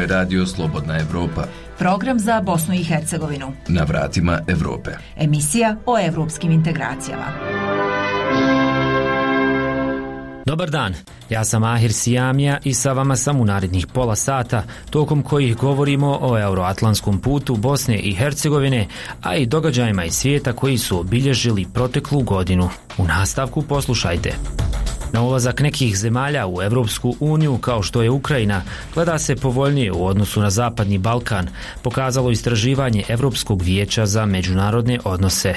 radio Slobodna Evropa. Program za Bosnu i Hercegovinu. Na vratima Evrope. Emisija o evropskim integracijama. Dobar dan, ja sam Ahir Sijamija i sa vama sam u narednih pola sata, tokom kojih govorimo o euroatlantskom putu Bosne i Hercegovine, a i događajima iz svijeta koji su obilježili proteklu godinu. U nastavku poslušajte. Na ulazak nekih zemalja u Evropsku uniju, kao što je Ukrajina, gleda se povoljnije u odnosu na Zapadni Balkan, pokazalo istraživanje Evropskog vijeća za međunarodne odnose.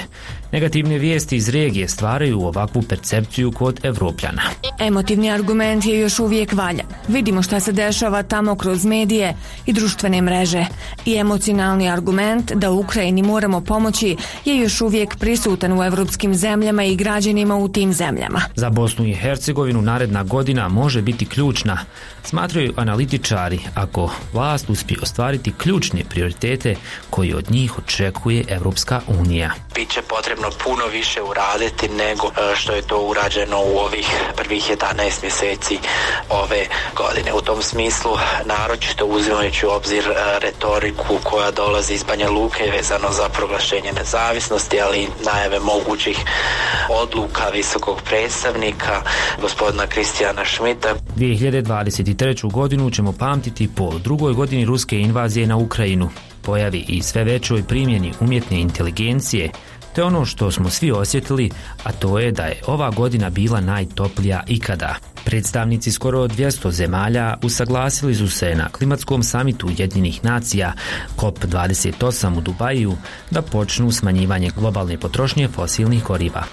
Negativne vijesti iz regije stvaraju ovakvu percepciju kod Evropljana. Emotivni argument je još uvijek valjan. Vidimo šta se dešava tamo kroz medije i društvene mreže. I emocionalni argument da Ukrajini moramo pomoći je još uvijek prisutan u evropskim zemljama i građanima u tim zemljama. Za Bosnu i Hercegovinu naredna godina može biti ključna, smatraju analitičari, ako vlast uspije ostvariti ključne prioritete koji od njih očekuje Evropska unija. Biće potrebno puno više uraditi nego što je to urađeno u ovih prvih 11 mjeseci ove godine. U tom smislu, naročito uzimajući u obzir retoriku koja dolazi iz Banja Luke vezano za proglašenje nezavisnosti, ali i najave mogućih odluka visokog predstavnika gospodina Kristijana Šmita. 2023. godinu ćemo pamtiti po drugoj godini ruske invazije na Ukrajinu, pojavi i sve većoj primjeni umjetne inteligencije, te ono što smo svi osjetili, a to je da je ova godina bila najtoplija ikada. Predstavnici skoro 200 zemalja usaglasili su se na klimatskom samitu Ujedinjenih nacija COP28 u Dubaju da počnu smanjivanje globalne potrošnje fosilnih goriva.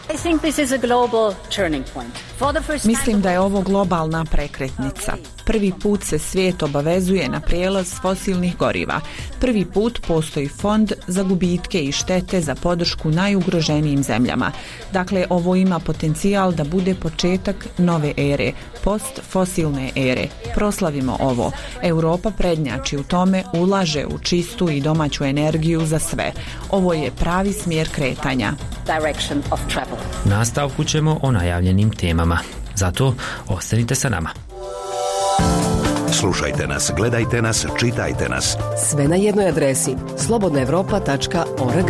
Mislim da je ovo globalna prekretnica. Prvi put se svijet obavezuje na prijelaz fosilnih goriva. Prvi put postoji fond za gubitke i štete za podršku najugroženijim zemljama. Dakle, ovo ima potencijal da bude početak nove ere, postfosilne ere. Proslavimo ovo. Europa prednjači u tome, ulaže u čistu i domaću energiju za sve. Ovo je pravi smjer kretanja. U nastavku ćemo o najavljenim temama. Zato ostanite sa nama. Slušajte nas, gledajte nas, čitajte nas. Sve na jednoj adresi slobodnaevropa.org.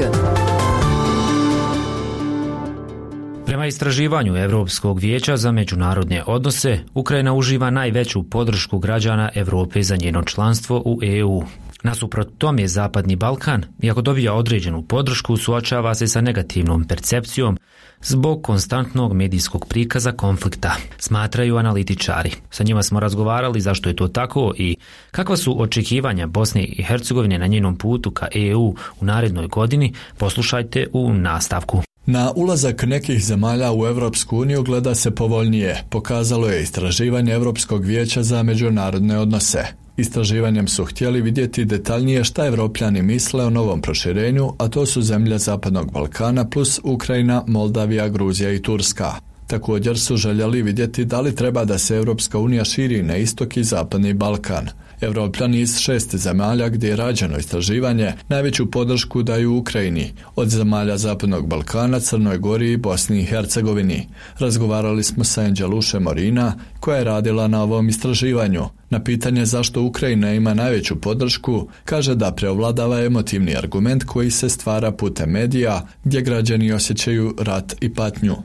Prema istraživanju Evropskog vijeća za međunarodne odnose, Ukrajina uživa najveću podršku građana Europe za njeno članstvo u EU. Nasuprot tome, Zapadni Balkan, iako dobija određenu podršku, suočava se sa negativnom percepcijom zbog konstantnog medijskog prikaza konflikta, smatraju analitičari. Sa njima smo razgovarali zašto je to tako i kakva su očekivanja Bosne i Hercegovine na njenom putu ka EU u narednoj godini. Poslušajte u nastavku. Na ulazak nekih zemalja u Evropsku uniju gleda se povoljnije, pokazalo je istraživanje Evropskog vijeća za međunarodne odnose. Istraživanjem su htjeli vidjeti detaljnije šta Evropljani misle o novom proširenju, a to su zemlje Zapadnog Balkana plus Ukrajina, Moldavija, Gruzija i Turska. Također su željeli vidjeti da li treba da se Evropska unija širi na istok i Zapadni Balkan. Evropljani iz 6 zemalja gdje je rađeno istraživanje najveću podršku daju Ukrajini, od zemalja Zapadnog Balkana, Crnoj Gori i Bosni i Hercegovini. Razgovarali smo sa Anđeluše Morina, koja je radila na ovom istraživanju. Na pitanje zašto Ukrajina ima najveću podršku, kaže da preovladava emotivni argument koji se stvara putem medija, gdje građani osjećaju rat i patnju.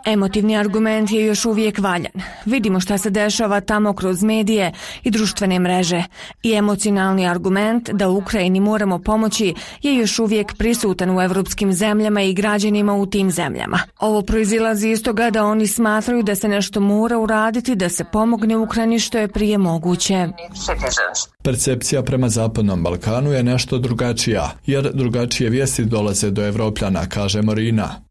Emotivni argument je još uvijek valjan. Vidimo šta se dešava tamo kroz medije i društvene mreže. I emocionalni argument da Ukrajini moramo pomoći je još uvijek prisutan u evropskim zemljama i građanima u tim zemljama. Ovo proizilazi iz toga da oni smatraju da se nešto mora uraditi da se pomogne Ukrajini što je prije moguće. Percepcija prema Zapadnom Balkanu je nešto drugačija, jer drugačije vijesti dolaze do Evropljana, kaže Morina.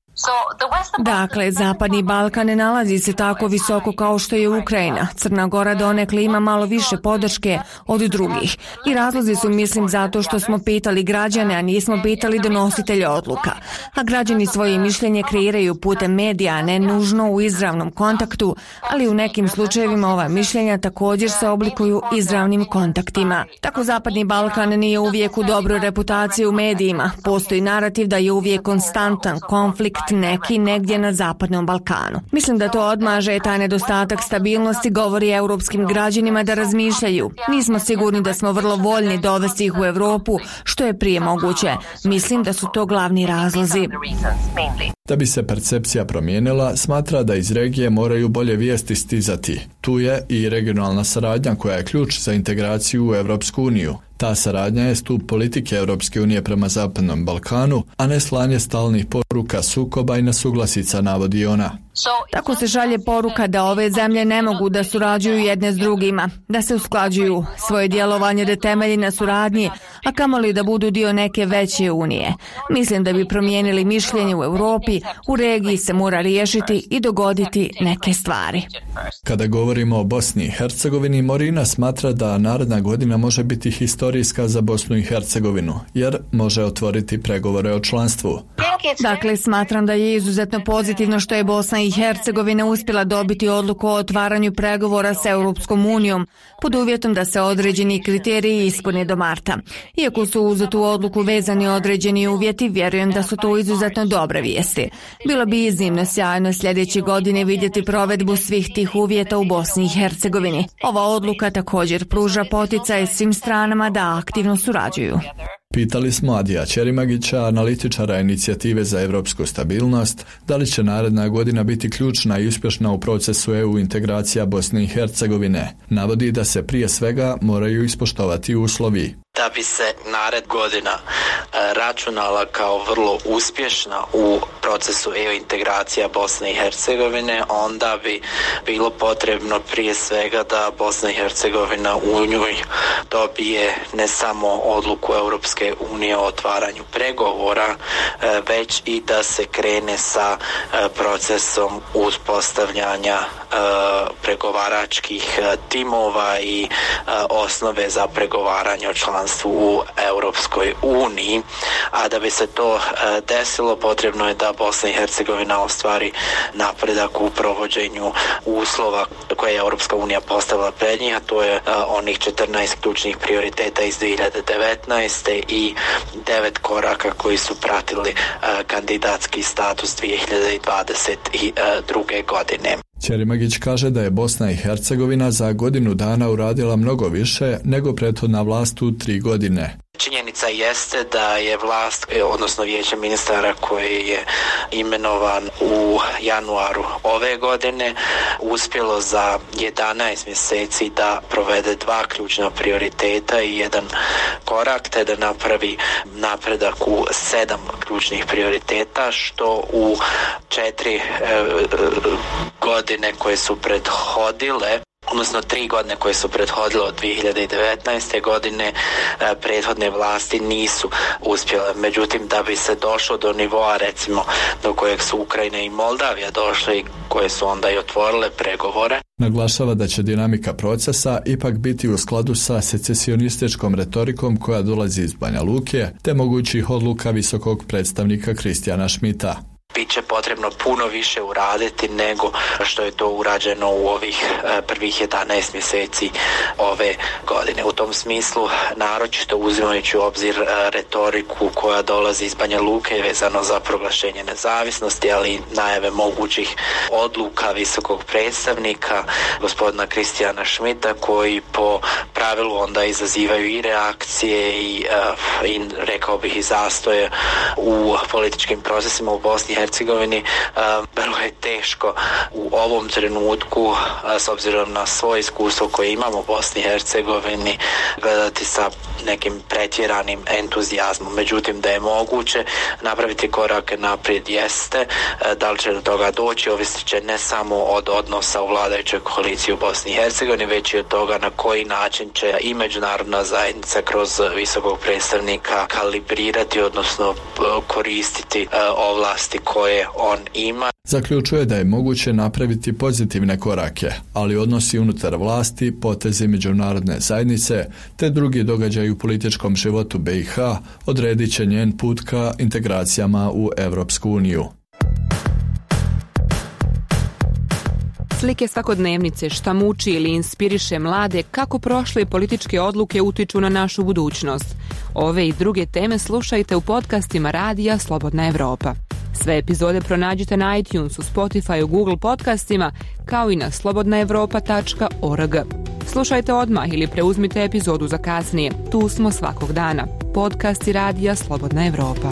Dakle, Zapadni Balkan ne nalazi se tako visoko kao što je Ukrajina. Crna Gora donekle ima malo više podrške od drugih. I razlozi su, mislim, zato što smo pitali građane, a nismo pitali donositelje odluka. A građani svoje mišljenje kreiraju putem medija, a ne nužno u izravnom kontaktu, ali u nekim slučajevima ova mišljenja također se oblikuju izravnim kontaktima. Tako Zapadni Balkan nije uvijek u dobroj reputaciji u medijima. Postoji narativ da je uvijek konstantan konflikt neki negdje na Zapadnom Balkanu. Mislim da to odmaže taj nedostatak stabilnosti, govori europskim građanima da razmišljaju. Nismo sigurni da smo vrlo voljni dovesti ih u Europu što je prije moguće. Mislim da su to glavni razlozi. Da bi se percepcija promijenila, smatra da iz regije moraju bolje vijesti stizati. Tu je i regionalna saradnja koja je ključ za integraciju u Europsku uniju. Ta saradnja je stup politike Europske unije prema Zapadnom Balkanu, a ne slanje stalnih poruka sukoba i nesuglasica, navodi ona. Tako se šalje poruka da ove zemlje ne mogu da surađuju jedne s drugima, da se usklađuju, svoje djelovanje da temelji na suradnji, a kamoli da budu dio neke veće unije. Mislim da bi promijenili mišljenje u Europi, u regiji se mora riješiti i dogoditi neke stvari. Kada govorimo o Bosni i Hercegovini, Morina smatra da naredna godina može biti historijska za Bosnu i Hercegovinu, jer može otvoriti pregovore o članstvu. Dakle, smatram da je izuzetno pozitivno što je Bosna i Hercegovina uspjela dobiti odluku o otvaranju pregovora s Europskom unijom, pod uvjetom da se određeni kriteriji ispune do marta. Iako su uz tu odluku vezani određeni uvjeti, vjerujem da su to izuzetno dobre vijesti. Bilo bi iznimno sjajno sljedeće godine vidjeti provedbu svih tih uvjeta u Bosni i Hercegovini. Ova odluka također pruža poticaj svim stranama da aktivno surađuju. Pitali smo Adija Ćerimagića, analitičara Inicijative za europsku stabilnost, da li će naredna godina biti ključna i uspješna u procesu EU integracija Bosne i Hercegovine. Navodi da se prije svega moraju ispoštovati uslovi. Da bi se nared godina računala kao vrlo uspješna u procesu EU integracija Bosne i Hercegovine, onda bi bilo potrebno prije svega da Bosna i Hercegovina u njoj dobije ne samo odluku Europske unije o otvaranju pregovora, već i da se krene sa procesom uspostavljanja pregovaračkih timova i osnove za pregovaranje o članstvu u Europskoj uniji, a da bi se to desilo potrebno je da Bosna i Hercegovina ostvari napredak u provođenju uslova koje je Europska unija postavila pred njih, a to je onih 14 ključnih prioriteta iz 2019. i 9 koraka koji su pratili kandidatski status 2022. godine. Ćerimagić kaže da je Bosna i Hercegovina za godinu dana uradila mnogo više nego prethodna vlast u 3 godine. Činjenica jeste da je vlast, odnosno vijeće ministara koji je imenovan u januaru ove godine, uspjelo za 11 mjeseci da provede 2 ključna prioriteta i 1 korak, te da napravi napredak u 7 ključnih prioriteta, što u 4 godine koje su prethodile, odnosno 3 godine koje su prethodile od 2019. godine, prethodne vlasti nisu uspjele. Međutim, da bi se došlo do nivoa, recimo, do kojeg su Ukrajina i Moldavija došle i koje su onda i otvorile pregovore. Naglašava da će dinamika procesa ipak biti u skladu sa secesionističkom retorikom koja dolazi iz Banja Luke, te mogućih odluka visokog predstavnika Kristijana Schmidta. Biće potrebno puno više uraditi nego što je to urađeno u ovih prvih 11 mjeseci ove godine. U tom smislu, naročito uzimajući u obzir retoriku koja dolazi iz Banja Luke vezano za proglašenje nezavisnosti, ali i najave mogućih odluka visokog predstavnika gospodina Kristijana Schmidta, koji po pravilu onda izazivaju i reakcije i rekao bih i zastoje u političkim procesima u Bosni i Hercegovini. Vrlo je teško u ovom trenutku, s obzirom na svoje iskustvo koje imamo u Bosni i Hercegovini, gledati sa nekim pretjeranim entuzijazmom. Međutim, da je moguće napraviti korake naprijed jeste. Da li će do toga doći, ovisit će ne samo od odnosa u vladajućoj koaliciji u Bosni i Hercegovini, već i od toga na koji način će i međunarodna zajednica kroz visokog predstavnika kalibrirati, odnosno koristiti ovlasti koje on ima. Zaključuje da je moguće napraviti pozitivne korake, ali odnosi unutar vlasti, potezi međunarodne zajednice te drugi događaji u političkom životu BiH odredit će njen put ka integracijama u Europsku uniju. Slike svakodnevnice, šta muči ili inspiriše mlade, kako prošle političke odluke utiču na našu budućnost. Ove i druge teme slušajte u podcastima radija Slobodna Evropa. Sve epizode pronađite na iTunesu, Spotifyu, Google podcastima, kao i na slobodnaevropa.org. Slušajte odmah ili preuzmite epizodu za kasnije. Tu smo svakog dana. Podcast i radija Slobodna Evropa.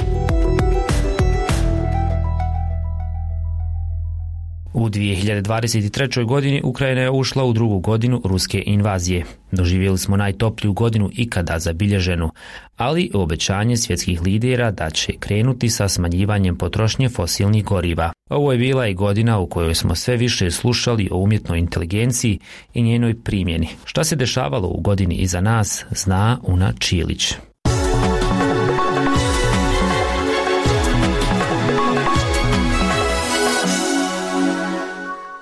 U 2023. godini Ukrajina je ušla u drugu godinu ruske invazije. Doživjeli smo najtopliju godinu ikada zabilježenu, ali obećanje svjetskih lidera da će krenuti sa smanjivanjem potrošnje fosilnih goriva. Ovo je bila i godina u kojoj smo sve više slušali o umjetnoj inteligenciji i njenoj primjeni. Šta se dešavalo u godini iza nas, zna Una Čilić.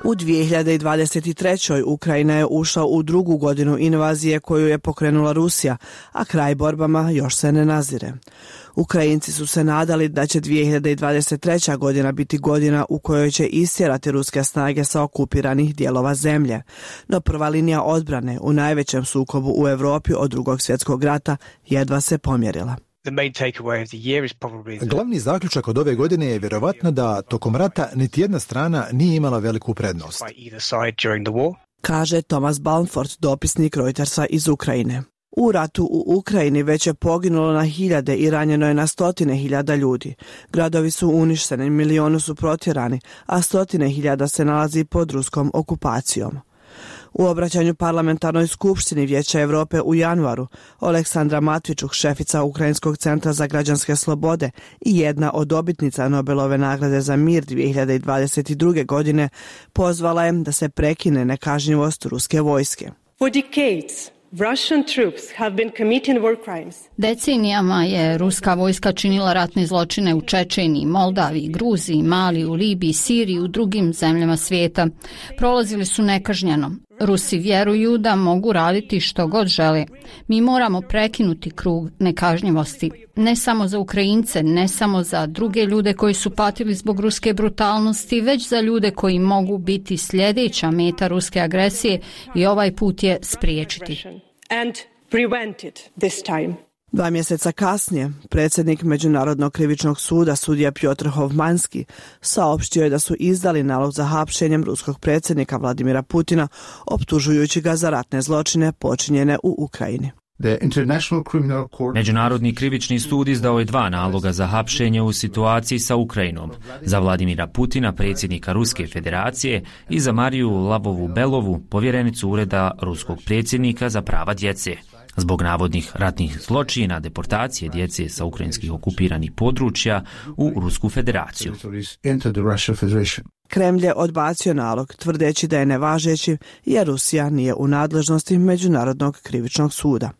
U 2023. Ukrajina je ušla u drugu godinu invazije koju je pokrenula Rusija, a kraj borbama još se ne nazire. Ukrajinci su se nadali da će 2023. godina biti godina u kojoj će istjerati ruske snage sa okupiranih dijelova zemlje. No prva linija odbrane u najvećem sukobu u Europi od Drugog svjetskog rata jedva se pomjerila. Glavni zaključak od ove godine je vjerovatno da tokom rata niti jedna strana nije imala veliku prednost, kaže Thomas Balmford, dopisnik Reutersa iz Ukrajine. U ratu u Ukrajini već je poginulo na hiljade i ranjeno je na stotine hiljada ljudi. Gradovi su uništeni, milioni su protjerani, a stotine hiljada se nalazi pod ruskom okupacijom. U obraćanju parlamentarnoj skupštini Vijeća Europe u januaru, Oleksandra Matvičuk, šefica Ukrajinskog centra za građanske slobode i jedna od dobitnica Nobelove nagrade za mir 2022. godine, pozvala je da se prekine nekažnjivost ruske vojske. Decenijama je ruska vojska činila ratne zločine u Čečeniji, Moldaviji, Gruziji, Maliju, Libiji, Siriji i u drugim zemljama svijeta. Prolazili su nekažnjeno. Rusi vjeruju da mogu raditi što god žele. Mi moramo prekinuti krug nekažnjivosti. Ne samo za Ukrajince, ne samo za druge ljude koji su patili zbog ruske brutalnosti, već za ljude koji mogu biti sljedeća meta ruske agresije i ovaj put je spriječiti. 2 mjeseca kasnije, predsjednik Međunarodnog krivičnog suda, sudija Pjotr Hovmanski, saopštio je da su izdali nalog za hapšenjem ruskog predsjednika Vladimira Putina, optužujući ga za ratne zločine počinjene u Ukrajini. Međunarodni krivični sud izdao je 2 naloga za hapšenje u situaciji sa Ukrajinom, za Vladimira Putina, predsjednika Ruske federacije, i za Mariju Lavovu-Belovu, povjerenicu Ureda ruskog predsjednika za prava djece, zbog navodnih ratnih zločina, deportacije djece sa ukrajinskih okupiranih područja u Rusku federaciju. Kremlj je odbacio nalog, tvrdeći da je nevažeći jer Rusija nije u nadležnosti Međunarodnog krivičnog suda.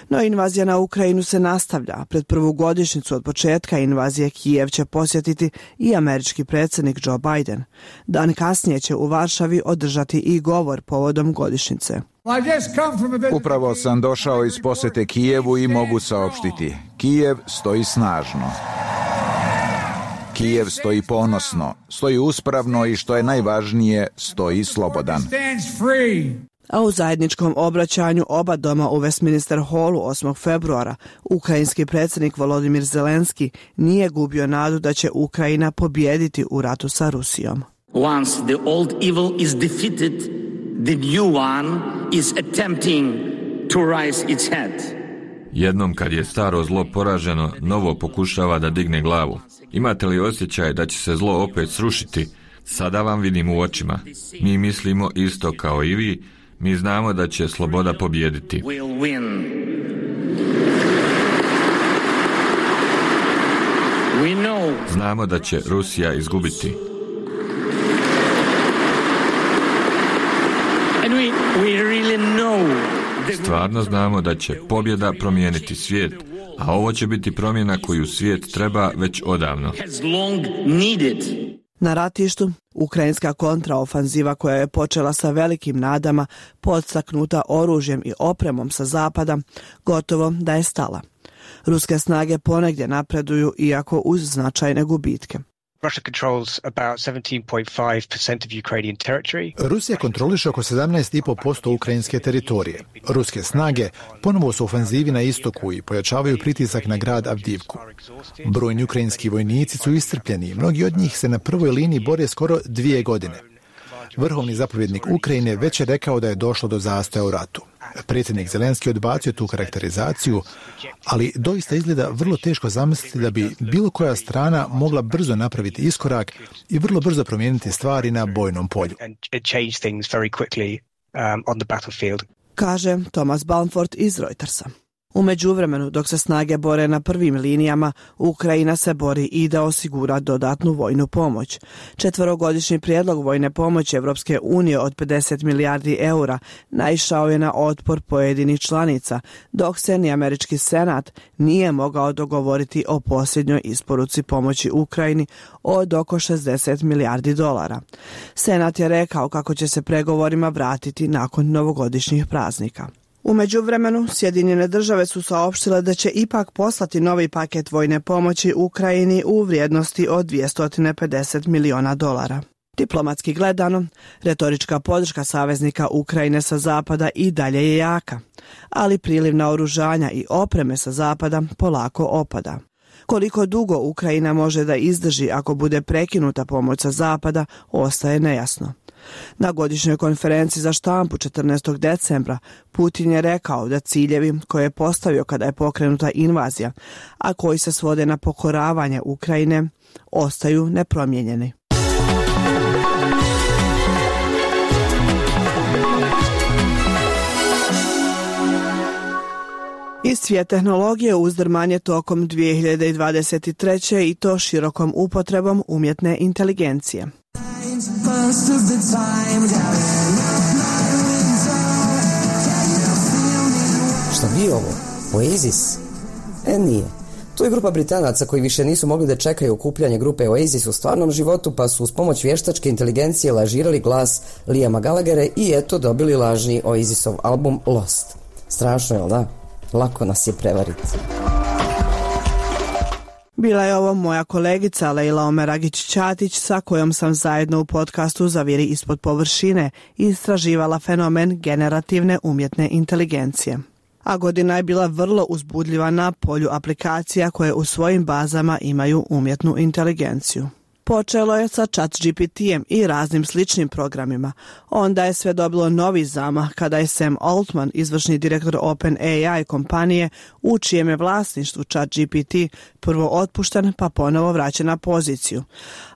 No invazija na Ukrajinu se nastavlja. Pred prvu godišnjicu od početka invazije Kijev će posjetiti i američki predsjednik Joe Biden. Dan kasnije će u Varšavi održati i govor povodom godišnjice. Upravo sam došao iz posjete Kijevu i mogu saopštiti. Kijev stoji snažno. Kijev stoji ponosno, stoji uspravno i što je najvažnije, stoji slobodan. A u zajedničkom obraćanju oba doma u Westminster Hallu 8. februara ukrajinski predsjednik Volodymyr Zelenski nije gubio nadu da će Ukrajina pobijediti u ratu sa Rusijom. Once the old evil is defeated, the new one is attempting to rise its head. Jednom kad je staro zlo poraženo, novo pokušava da digne glavu. Imate li osjećaj da će se zlo opet srušiti? Sada vam vidim u očima. Mi mislimo isto kao i vi. Mi znamo da će sloboda pobijediti. Znamo da će Rusija izgubiti. Stvarno znamo da će pobjeda promijeniti svijet, a ovo će biti promjena koju svijet treba već odavno. Na ratištu, ukrajinska kontraofanziva koja je počela sa velikim nadama, podstaknuta oružjem i opremom sa zapada, gotovo da je stala. Ruske snage ponegdje napreduju, iako uz značajne gubitke. Rusija kontroliše oko 17,5% ukrajinske teritorije. Ruske snage ponovo su u ofanzivi na istoku i pojačavaju pritisak na grad Avdivku. Brojni ukrajinski vojnici su iscrpljeni i mnogi od njih se na prvoj liniji bore skoro 2 godine. Vrhovni zapovjednik Ukrajine već je rekao da je došlo do zastoja u ratu. Predsjednik Zelenski odbacio tu karakterizaciju, ali doista izgleda vrlo teško zamisliti da bi bilo koja strana mogla brzo napraviti iskorak i vrlo brzo promijeniti stvari na bojnom polju. Kaže Thomas Balmford iz Reutersa. U međuvremenu, dok se snage bore na prvim linijama, Ukrajina se bori i da osigura dodatnu vojnu pomoć. 4-godišnji prijedlog vojne pomoći Evropske unije od 50 milijardi eura naišao je na otpor pojedinih članica, dok se ni američki senat nije mogao dogovoriti o posljednjoj isporuci pomoći Ukrajini od oko 60 milijardi dolara. Senat je rekao kako će se pregovorima vratiti nakon novogodišnjih praznika. U međuvremenu, Sjedinjene države su saopštile da će ipak poslati novi paket vojne pomoći Ukrajini u vrijednosti od 250 miliona dolara. Diplomatski gledano, retorička podrška saveznika Ukrajine sa zapada i dalje je jaka, ali priliv naoružanja i opreme sa zapada polako opada. Koliko dugo Ukrajina može da izdrži ako bude prekinuta pomoć sa zapada, ostaje nejasno. Na godišnjoj konferenciji za štampu 14. decembra Putin je rekao da ciljevi koje je postavio kada je pokrenuta invazija, a koji se svode na pokoravanje Ukrajine, ostaju nepromijenjeni. Iz svijet tehnologije uzdrmanje tokom 2023. i to širokom upotrebom umjetne inteligencije. Šta bi ovo? Oasis? Nije. To je grupa Britanaca koji više nisu mogli da čekaju okupljanje grupe Oasis u stvarnom životu, pa su uz pomoć vještačke inteligencije lažirali glas Liama Gallaghera i eto dobili lažni Oasisov album Lost. Strašno, jel da? Lako nas je prevariti. Bila je ovo moja kolegica Lejla Omeragić-Ćatić sa kojom sam zajedno u podcastu Zaviri ispod površine istraživala fenomen generativne umjetne inteligencije. A godina je bila vrlo uzbudljiva na polju aplikacija koje u svojim bazama imaju umjetnu inteligenciju. Počelo je sa ChatGPT-em i raznim sličnim programima. Onda je sve dobilo novi zamah kada je Sam Altman, izvršni direktor OpenAI kompanije, u čijem je vlasništvu ChatGPT, prvo otpušten pa ponovo vraćen na poziciju.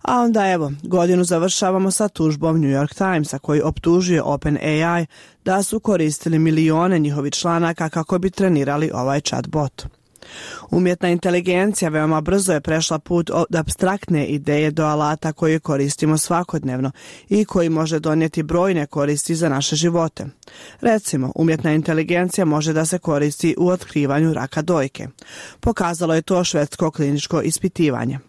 A onda evo, godinu završavamo sa tužbom New York Timesa koji optužuje OpenAI da su koristili milione njihovih članaka kako bi trenirali ovaj chatbot. Umjetna inteligencija veoma brzo je prešla put od apstraktne ideje do alata koje koristimo svakodnevno i koji može donijeti brojne koristi za naše živote. Recimo, umjetna inteligencija može da se koristi u otkrivanju raka dojke. Pokazalo je to švedsko kliničko ispitivanje.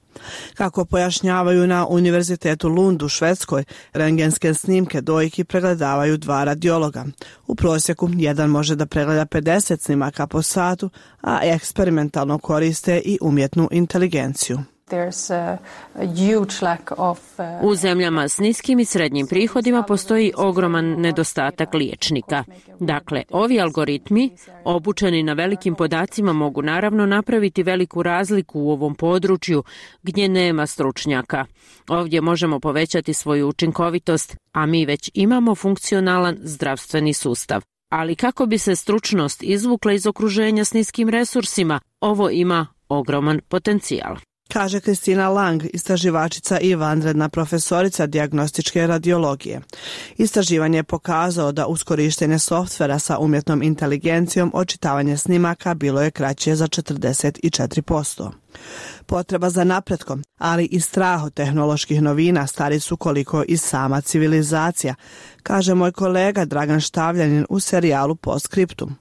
Kako pojašnjavaju na Univerzitetu Lund u Švedskoj, rentgenske snimke dojki pregledavaju 2 radiologa. U prosjeku jedan može da pregleda 50 snimaka po satu, a eksperimentalno koriste i umjetnu inteligenciju. U zemljama s niskim i srednjim prihodima postoji ogroman nedostatak liječnika. Dakle, ovi algoritmi, obučeni na velikim podacima, mogu naravno napraviti veliku razliku u ovom području gdje nema stručnjaka. Ovdje možemo povećati svoju učinkovitost, a mi već imamo funkcionalan zdravstveni sustav. Ali kako bi se stručnost izvukla iz okruženja s niskim resursima, ovo ima ogroman potencijal. Kaže Kristina Lang, istraživačica i vanredna profesorica dijagnostičke radiologije. Istraživanje je pokazalo da uz korištenje softvera sa umjetnom inteligencijom očitavanje snimaka bilo je kraće za 44%. Potreba za napretkom, ali i strah od tehnoloških novina stari su koliko i sama civilizacija, kaže moj kolega Dragan Štavljanin u serijalu Postscriptum.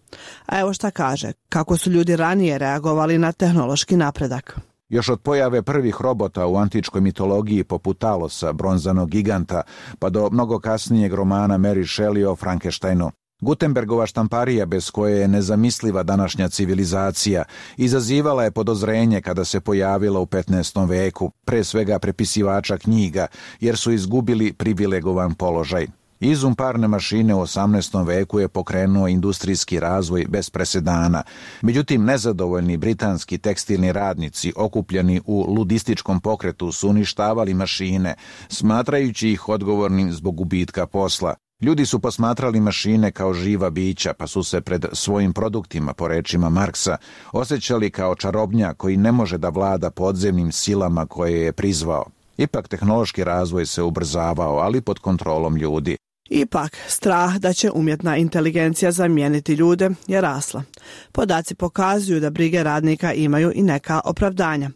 A evo šta kaže, kako su ljudi ranije reagovali na tehnološki napredak. Još od pojave prvih robota u antičkoj mitologiji poput Talosa, bronzanog giganta, pa do mnogo kasnijeg romana Mary Shelley o Frankensteinu. Gutenbergova štamparija, bez koje je nezamisliva današnja civilizacija, izazivala je podozrenje kada se pojavila u 15. veku, pre svega prepisivača knjiga, jer su izgubili privilegovan položaj. Izum parne mašine u 18. veku je pokrenuo industrijski razvoj bez presedana. Međutim, nezadovoljni britanski tekstilni radnici okupljeni u ludističkom pokretu su uništavali mašine, smatrajući ih odgovornim zbog gubitka posla. Ljudi su posmatrali mašine kao živa bića, pa su se pred svojim produktima, po rečima Marksa, osjećali kao čarobnjak koji ne može da vlada podzemnim silama koje je prizvao. Ipak tehnološki razvoj se ubrzavao, ali pod kontrolom ljudi. Ipak, strah da će umjetna inteligencija zamijeniti ljude je rasla. Podaci pokazuju da brige radnika imaju i neka opravdanja.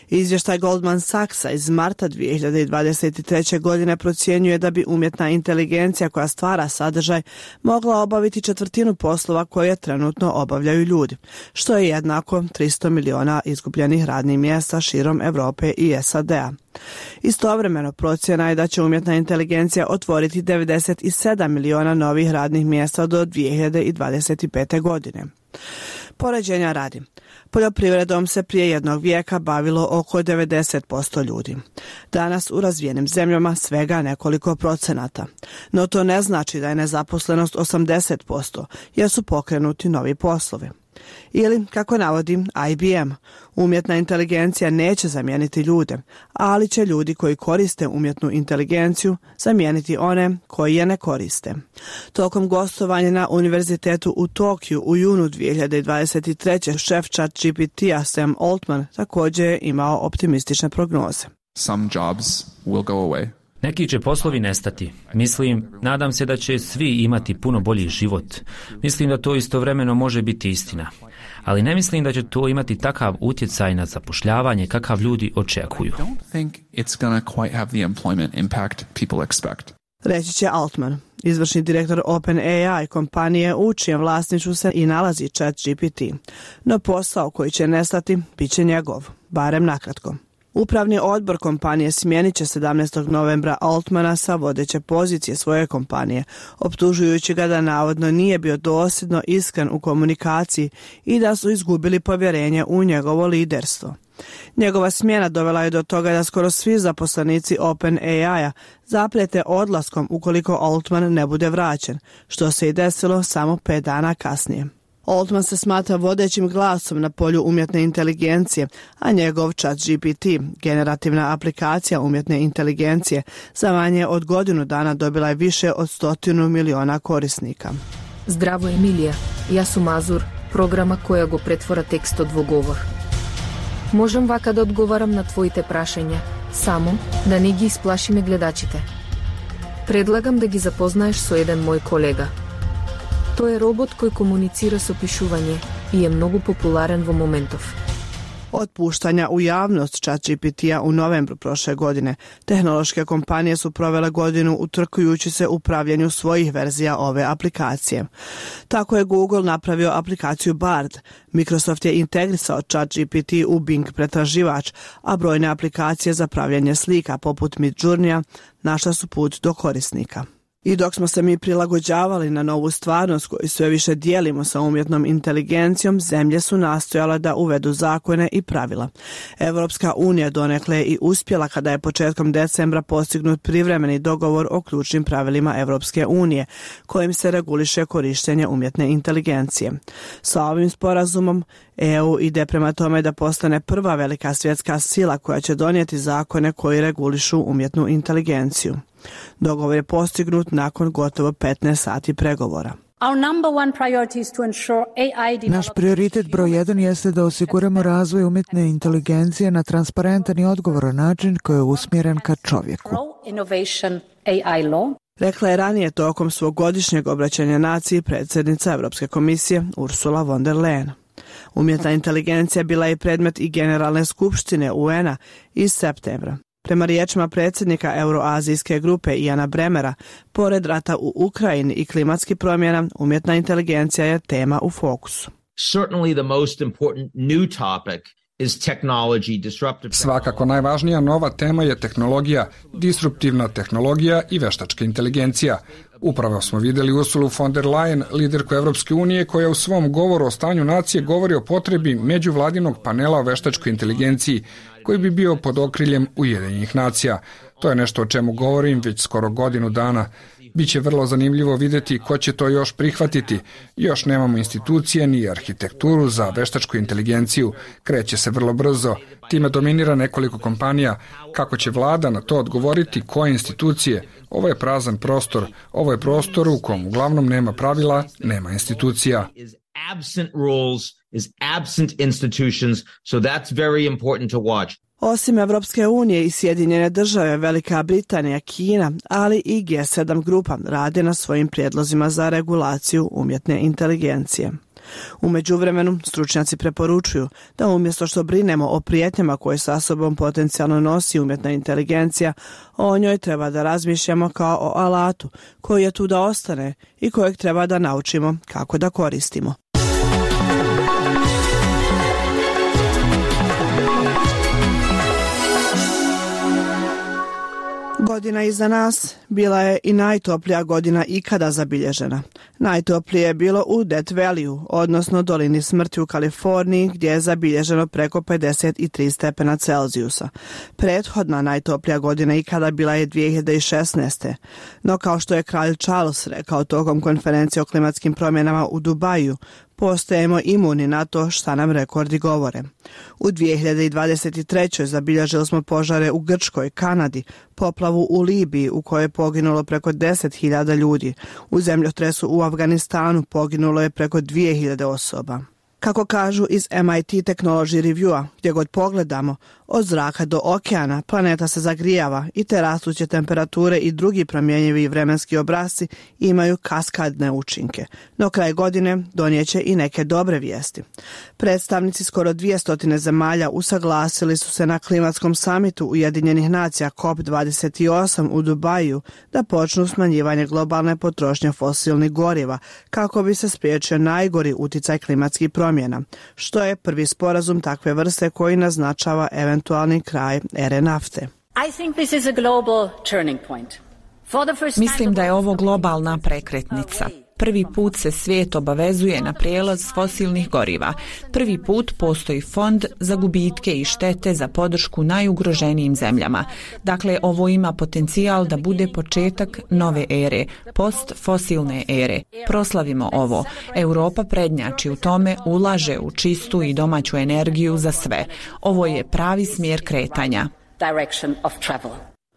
Izvještaj Goldman Sachsa iz marta 2023. godine procjenjuje da bi umjetna inteligencija koja stvara sadržaj mogla obaviti 1/4 poslova koje trenutno obavljaju ljudi, što je jednako 300 miliona izgubljenih radnih mjesta širom Europe i SAD-a. Istovremeno procjena je da će umjetna inteligencija otvoriti 97 miliona novih radnih mjesta do 2025. godine. Poređenja radi. Poljoprivredom se prije jednog vijeka bavilo oko 90% ljudi. Danas u razvijenim zemljama svega nekoliko procenata. No to ne znači da je nezaposlenost 80%, jer su pokrenuti novi poslovi. Ili, kako navodi IBM, umjetna inteligencija neće zamijeniti ljude, ali će ljudi koji koriste umjetnu inteligenciju zamijeniti one koji je ne koriste. Tokom gostovanja na univerzitetu u Tokiju u junu 2023. šef ChatGPT-a Sam Altman također je imao optimistične prognoze. Some jobs will go away. Neki će poslovi nestati. Nadam se da će svi imati puno bolji život. Mislim da to istovremeno može biti istina. Ali ne mislim da će to imati takav utjecaj na zapošljavanje kakav ljudi očekuju. Reći će Altman, izvršni direktor OpenAI kompanije u čijem vlasništvu se i nalazi ChatGPT. No posao koji će nestati bit će njegov, barem nakratko. Upravni odbor kompanije smijenit će 17. novembra Altmana sa vodeće pozicije svoje kompanije, optužujući ga da navodno nije bio dosljedno iskren u komunikaciji i da su izgubili povjerenje u njegovo liderstvo. Njegova smjena dovela je do toga da skoro svi zaposlenici OpenAI-a zaprijete odlaskom ukoliko Altman ne bude vraćen, što se i desilo samo 5 dana kasnije. Altman se smatra vodećim glasom na polju umjetne inteligencije, a njegov ChatGPT, generativna aplikacija umjetne inteligencije, za manje od godinu dana dobila je više od 100 miliona korisnika. Zdravo Emilija, ja sam Azur, programa koja go pretvora tekst od vogovor. Možem vaka da odgovaram na tvojite prašenja, samo da ne gi isplašime gledačite. Predlagam da gi zapoznaješ so jedan moj kolega. To je robot koji komunicira s opišuvanje i je mnogo popularen v momentov. Od puštanja u javnost ChatGPT-a u novembru prošle godine, tehnološke kompanije su provele godinu utrkujući se u pravljenju svojih verzija ove aplikacije. Tako je Google napravio aplikaciju Bard, Microsoft je integrisao ChatGPT u Bing pretraživač, a brojne aplikacije za pravljanje slika poput Midjourneya našla su put do korisnika. I dok smo se mi prilagođavali na novu stvarnost koju sve više dijelimo sa umjetnom inteligencijom, zemlje su nastojale da uvedu zakone i pravila. Europska unija donekle je i uspjela kada je početkom decembra postignut privremeni dogovor o ključnim pravilima Europske unije, kojim se reguliše korištenje umjetne inteligencije. Sa ovim sporazumom EU ide prema tome da postane prva velika svjetska sila koja će donijeti zakone koji regulišu umjetnu inteligenciju. Dogovor je postignut nakon gotovo 15 sati pregovora. Naš prioritet broj 1 jeste da osiguramo razvoj umjetne inteligencije na transparentan i odgovoran način koji je usmjeren ka čovjeku. Rekla je ranije tokom svog godišnjeg obraćanja naciji predsjednica Europske komisije Ursula von der Leyen. Umjetna inteligencija bila je predmet i Generalne skupštine UN-a iz septembra. Prema riječima predsjednika Euroazijske grupe Iana Bremera, pored rata u Ukrajini i klimatskih promjena, umjetna inteligencija je tema u fokusu. Svakako najvažnija nova tema je tehnologija, disruptivna tehnologija i veštačka inteligencija. Upravo smo vidjeli Ursulu von der Leyen, liderku Evropske unije, koja u svom govoru o stanju nacije govori o potrebi međuvladinog panela o veštačkoj inteligenciji, koji bi bio pod okriljem Ujedinjenih nacija. To je nešto o čemu govorim već skoro godinu dana. Biće vrlo zanimljivo vidjeti ko će to još prihvatiti. Još nemamo institucije ni arhitekturu za veštačku inteligenciju. Kreće se vrlo brzo. Time dominira nekoliko kompanija. Kako će vlada na to odgovoriti, koje institucije? Ovo je prazan prostor. Ovo je prostor u kom uglavnom nema pravila, nema institucija. Absent rules, is absent institutions, so that's very important to watch. Osim Evropske unije i Sjedinjene države, Velika Britanija, Kina, ali i G7 grupa rade na svojim prijedlozima za regulaciju umjetne inteligencije. U međuvremenu, stručnjaci preporučuju da umjesto što brinemo o prijetnjama koje sa sobom potencijalno nosi umjetna inteligencija, o njoj treba da razmišljamo kao o alatu koji je tu da ostane i kojeg treba da naučimo kako da koristimo. Godina iza nas bila je i najtoplija godina ikada zabilježena. Najtoplije je bilo u Death Valley, odnosno dolini smrti u Kaliforniji, gdje je zabilježeno preko 53 stepena Celzijusa. Prethodna najtoplija godina ikada bila je 2016. No kao što je kralj Charles rekao tokom konferencije o klimatskim promjenama u Dubaju, postajemo imuni na to šta nam rekordi govore. U 2023. zabilježili smo požare u Grčkoj, Kanadi, poplavu u Libiji u kojoj je poginulo preko 10.000 ljudi. U zemljotresu u Afganistanu poginulo je preko 2.000 osoba. Kako kažu iz MIT Technology Reviewa, gdje god pogledamo, od zraka do okeana planeta se zagrijava i te rastuće temperature i drugi promjenjivi vremenski obrasci imaju kaskadne učinke. No kraj godine donijeće i neke dobre vijesti. Predstavnici skoro 200 zemalja usaglasili su se na klimatskom samitu Ujedinjenih nacija COP28 u Dubaju da počnu smanjivanje globalne potrošnje fosilnih goriva kako bi se spriječio najgori uticaj klimatskih promjena, što je prvi sporazum takve vrste koji naznačava eventualni kraj ere nafte. Mislim da je ovo globalna prekretnica. Prvi put se svijet obavezuje na prijelaz fosilnih goriva. Prvi put postoji fond za gubitke i štete za podršku najugroženijim zemljama. Dakle, ovo ima potencijal da bude početak nove ere, postfosilne ere. Proslavimo ovo. Europa prednjači u tome, ulaže u čistu i domaću energiju za sve. Ovo je pravi smjer kretanja.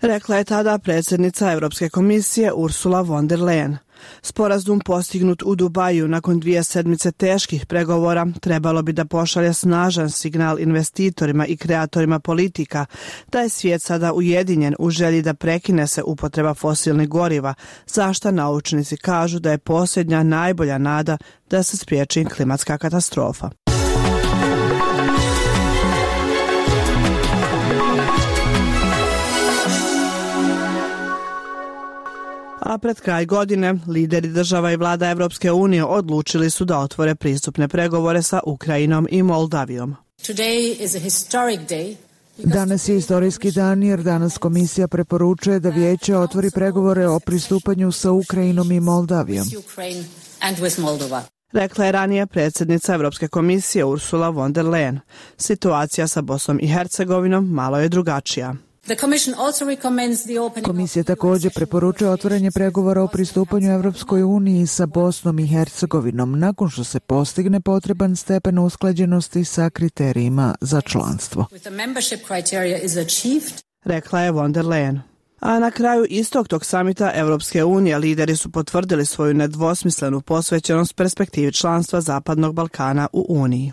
Rekla je tada predsjednica Europske komisije Ursula von der Leyen. Sporazum postignut u Dubaju nakon 2 sedmice teških pregovora trebalo bi da pošalje snažan signal investitorima i kreatorima politika da je svijet sada ujedinjen u želji da prekine se upotreba fosilnih goriva, za što naučnici kažu da je posljednja najbolja nada da se spriječi klimatska katastrofa. A pred kraj godine lideri država i vlada Evropske unije odlučili su da otvore pristupne pregovore sa Ukrajinom i Moldavijom. Danas je istorijski dan jer danas komisija preporučuje da vijeće otvori pregovore o pristupanju sa Ukrajinom i Moldavijom. Rekla je ranije predsjednica Evropske komisije Ursula von der Leyen. Situacija sa Bosnom i Hercegovinom malo je drugačija. Komisija također preporučuje otvaranje pregovora o pristupanju Evropskoj uniji sa Bosnom i Hercegovinom nakon što se postigne potreban stepen usklađenosti sa kriterijima za članstvo. Rekla je von der Leyen. A na kraju istog tog samita Evropske unije lideri su potvrdili svoju nedvosmislenu posvećenost perspektivi članstva Zapadnog Balkana u Uniji.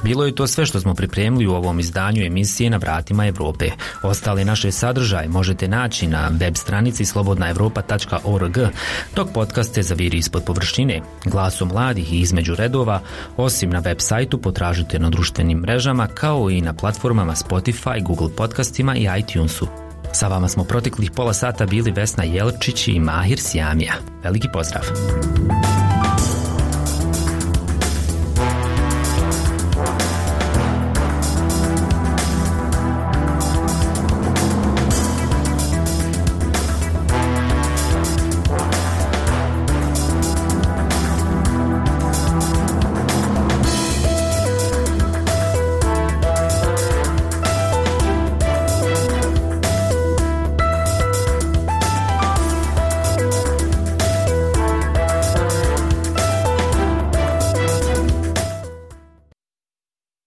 Bilo je to sve što smo pripremili u ovom izdanju emisije Na vratima Evrope. Ostale naše sadržaje možete naći na web stranici slobodnaevropa.org, dok podcaste zaviri ispod površine, glasom mladih i između redova, osim na web sajtu potražite na društvenim mrežama kao i na platformama Spotify, Google podcastima i iTunesu. Sa vama smo proteklih pola sata bili Vesna Jelčić i Mahir Sijamija. Veliki pozdrav!